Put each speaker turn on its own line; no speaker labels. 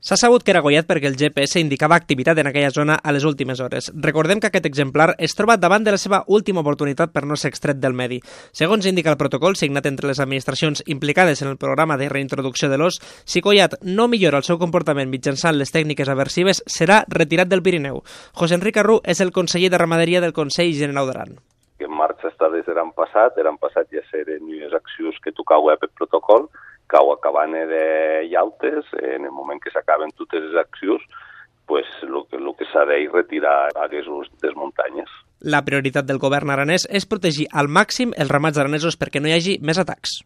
S'ha sabut que era gollat perquè el GPS indicava activitat en aquella zona a les últimes hores. Recordem que aquest exemplar es troba davant de la seva última oportunitat per no ser extret del medi. Segons indica el protocol signat entre les administracions implicades en el programa de reintroducció de l'os, si Collat no millora el seu comportament mitjançant les tècniques aversives, serà retirat del Pirineu. José Enric Arrú és el conseller de Ramaderia del Consell Generau d'Aran.
En marxa està des de l'any passat ja seren les accions que tocava per protocol, cau acabant de llautes, en el moment que s'acaben totes les accions, pues, el que s'ha de retirar aquestes des muntanyes.
La prioritat del govern aranès és protegir al màxim els ramats aranesos perquè no hi hagi més atacs.